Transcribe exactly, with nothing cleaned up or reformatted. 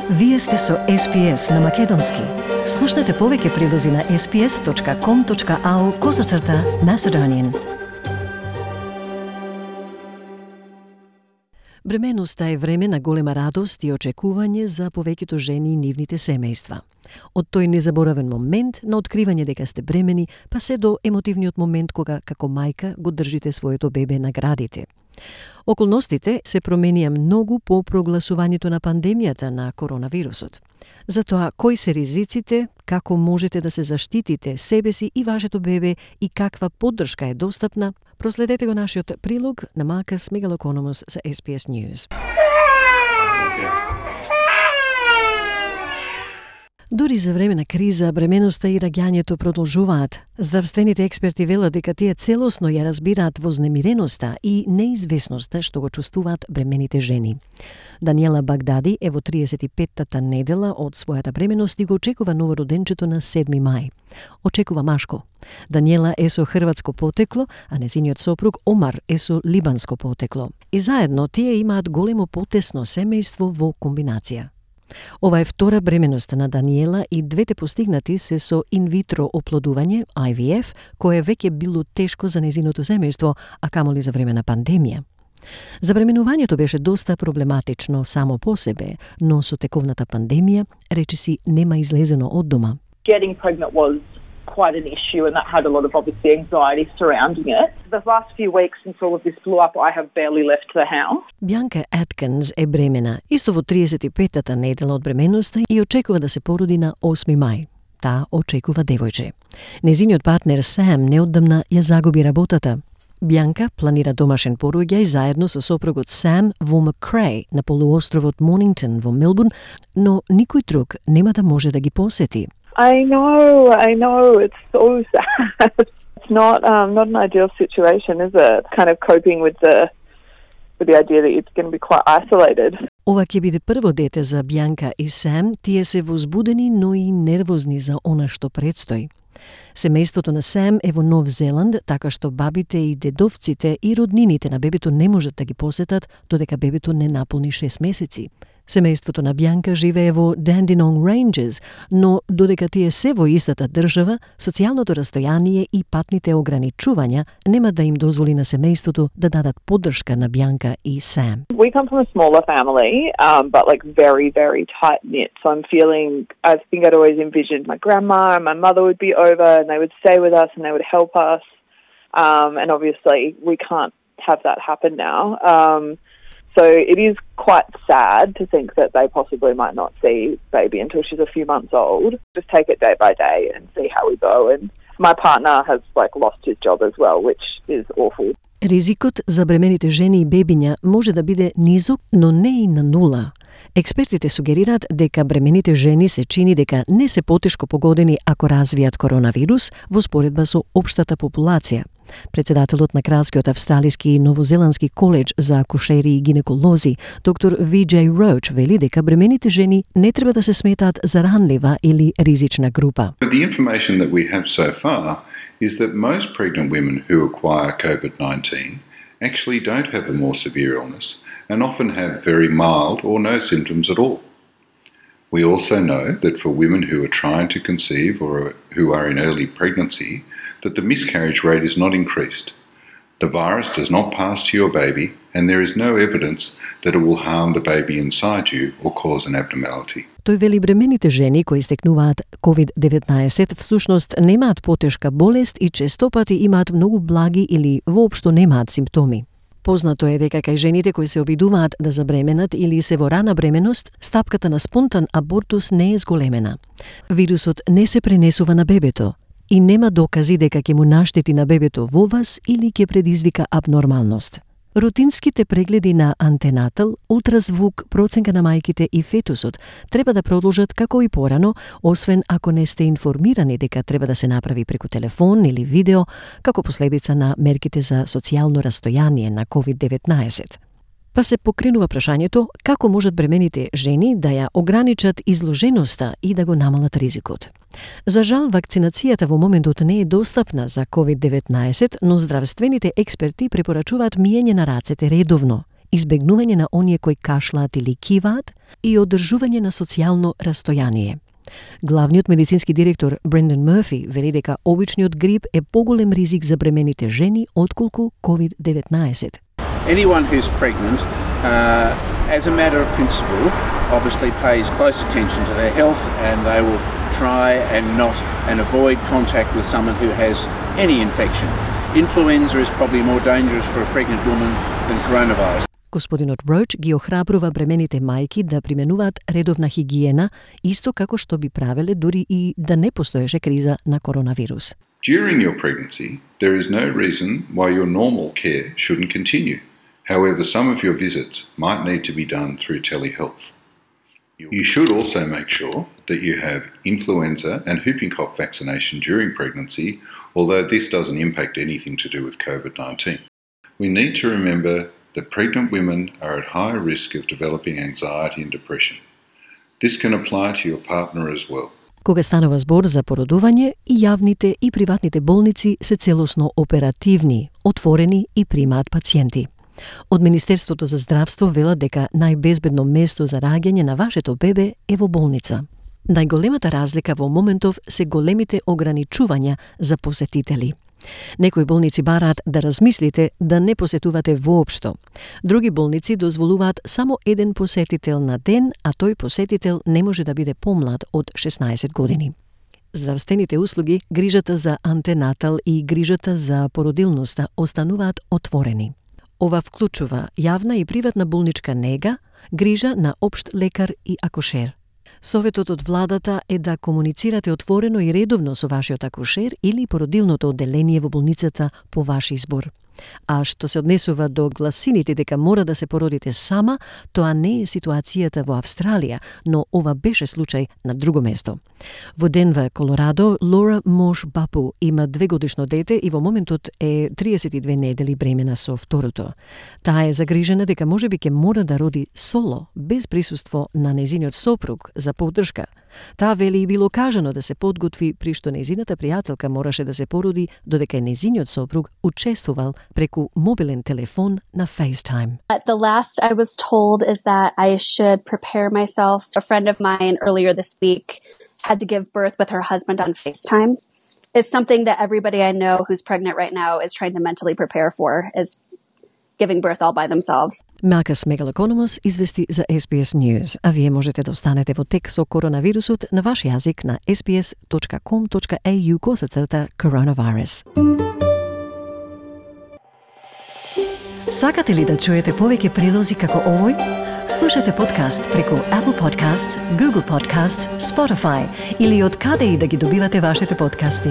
Вие сте со Ес Пи Ес на Македонски. Слушнете повеќе прилози на ес пи ес точка ком точка ау козацрта Macedonian. Бременоста е време на голема радост и очекување за повеќето жени и нивните семејства. Од тој незаборавен момент на откривање дека сте бремени, па се до емотивниот момент кога како мајка го држите своето бебе на градите. Околностите се променија многу по прогласувањето на пандемијата на коронавирусот. Затоа, кои се ризиците, како можете да се заштитите себе си и вашето бебе и каква поддршка е достапна, проследете го нашиот прилог на Маркус Мегалокономос за Ес Пи Ес News. Дури за време на криза, бременоста и раѓањето продолжуваат. Здравствените експерти велат дека тие целосно ја разбираат вознемиреноста и неизвестноста што го чувствуваат бремените жени. Даниела Багдади е во триесет и петтата недела од својата бременост и го очекува новороденчето на седми мај. Очекува машко. Даниела е со хрватско потекло, а незиниот сопруг Омар е со либанско потекло. И заедно тие имаат големо потесно семејство во комбинација. Ова е втора бременост на Даниела и двете постигнати се со инвитро оплодување, Ай Ви Еф, кое веќе било тешко за незиното семејство, а камоли за време на пандемија. Забременувањето беше доста проблематично само по себе, но со тековната пандемија, речиси, нема излезено од дома. Getting pregnant was quite an issue, and that had a lot of obviously anxiety surrounding it. The last few weeks since all of this blew up, I have barely left the house. Бјанка Аткинс е бремена, исто во триесет и петтата недела од бременоста и очекува да се породи на осми мај. Таа очекува девојче. Незиниот партнер Сам неодамна ја загуби работата. Бјанка планира домашен пороѓај заедно со сопругот Сам во Макреј на полуостровот Монингтон во Мелбурн, но никој друг нема да може да ги посети. I know, I know, it's so sad. It's not um, not an ideal situation, is it? Kind of coping with the with the idea that it's going to be quite isolated. Ова ќе биде прво дете за Бјанка и Сам, тие се возбудени, но и нервозни за она што предстои. Семејството на Сам е во Нов Зеланд, така што бабите и дедовците и роднините на бебето не можат да ги посетат додека бебето не наполни шест месеци. Семејството на Бјанка живее во Dandenong Ranges, но додека тие се во истата држава, социјалното растојание и патните ограничувања нема да им дозволи на семејството да дадат поддршка на Бјанка и Сам. We come from a smaller family, um, but like very, very tight-knit. So I'm feeling, I think I'd always envisioned my grandma and my mother would be over and they would stay with us and they would help us. Um, and obviously we can't have that happen now. Um, So it is quite sad to think that they possibly might not see baby until she's a few months old. Just take it day by day and see how we go. And my partner has like lost his job as well, which is awful. Ризикот за бремените жени и бебиња може да биде низок, но не и на нула. Експертите сугерираат дека бремените жени се чини дека не се потешко погодени ако развијат коронавирус во споредба со општата популација. Председателот на Кралскиот австралиски и новозеландски коледж за акушери и гинеколози, доктор Ви Џеј Роуч, вели дека бремените жени не треба да се сметаат за ранлива или ризична група. The information that we have so far is that most pregnant women who acquire COVID nineteen actually don't have a more severe illness and often have very mild or no symptoms at all. We also know that for women who are trying to conceive or who are in early pregnancy, that the miscarriage rate is not increased. The virus does not pass to your baby, and there is no evidence that it will harm the baby inside you or cause an abnormality. Тој вели бремените жени кои стекнуваат ковид деветнаесет всушност немаат потешка болест и честопати имаат многу благи или воопшто немаат симптоми. Познато е дека кај жените кои се обидуваат да забременат или се во рана бременост, стапката на спонтан абортус не е зголемена. Вирусот не се пренесува на бебето и нема докази дека ќе му наштети на бебето во вас или ќе предизвика абнормалност. Рутинските прегледи на антенатал, ултразвук, проценка на мајките и фетусот треба да продолжат како и порано, освен ако не сте информирани дека треба да се направи преку телефон или видео, како последица на мерките за социјално растојание на ковид деветнаесет. Па се покренува прашањето како можат бремените жени да ја ограничат изложеноста и да го намалат ризикот. За жал, вакцинацијата во моментот не е достапна за ковид деветнаесет, но здравствените експерти препорачуваат миење на рацете редовно избегнување на оние кои кашлаат или киваат и одржување на социјално растојание. Главниот медицински директор Брендан Мърфи вели дека обичниот грип е поголем ризик за бремените жени отколку ковид деветнаесет. Anyone who's pregnant, uh, as a matter of principle, obviously pays close attention to their health, and they will try and not and avoid contact with someone who has any infection. Influenza is probably more dangerous for a pregnant woman than coronavirus. Господинот Роуч ги охрабрува бремените мајки да применуваат редовна хигиена, исто како што би правеле дури и да не постоеше криза на коронавирус. During your pregnancy, there is no reason why your normal care shouldn't continue. However, some of your visits might need to be done through telehealth. You should also make sure that you have influenza and whooping cough vaccination during pregnancy, although this doesn't impact anything to do with covid nineteen. We need to remember that pregnant women are at high risk of developing anxiety and depression. This can apply to your partner as well. Кога станува збор за породување, и јавните и приватните болници се целосно оперативни, отворени и примаат пациенти. Од Министерството за здравство велат дека најбезбедно место за раѓање на вашето бебе е во болница. Најголемата разлика во моментов се големите ограничувања за посетители. Некои болници бараат да размислите да не посетувате воопшто. Други болници дозволуваат само еден посетител на ден, а тој посетител не може да биде помлад од шеснаесет години. Здравствените услуги, грижата за антенатал и грижата за породилноста остануваат отворени. Ова вклучува јавна и приватна болничка нега, грижа на општ лекар и акушер. Советот од владата е да комуницирате отворено и редовно со вашиот акушер или породилното одделение во болницата по ваш избор. А што се однесува до гласините дека мора да се породите сама, тоа не е ситуацијата во Австралија, но ова беше случај на друго место. Во Денвер, Колорадо, Лора Мош Бапу има двегодишно дете и во моментот е триесет и две недели бремена со второто. Таа е загрижена дека можеби ќе мора да роди соло, без присуство на нејзиниот сопруг за поддршка. Таа вели и било кажано да се подготви при што нејзината пријателка мораше да се породи, додека нејзиниот сопруг учествувал преку мобилен телефон на FaceTime. The last I was told is that I should prepare myself. A friend of mine earlier this week had to give birth with her husband on FaceTime. It's something that everybody I know who's pregnant right now is trying to mentally prepare for, is giving birth all by themselves. Малкас Мегалокономос извести за S B S News, а вие можете да останете во тек со коронавирусот на ваш јазик на s b s dot com dot a u косацрта coronavirus. Сакате ли да чуете повеќе прилози како овој? Слушате подкаст преку Apple Podcasts, Google Podcasts, Spotify или од каде и да ги добивате вашите подкасти.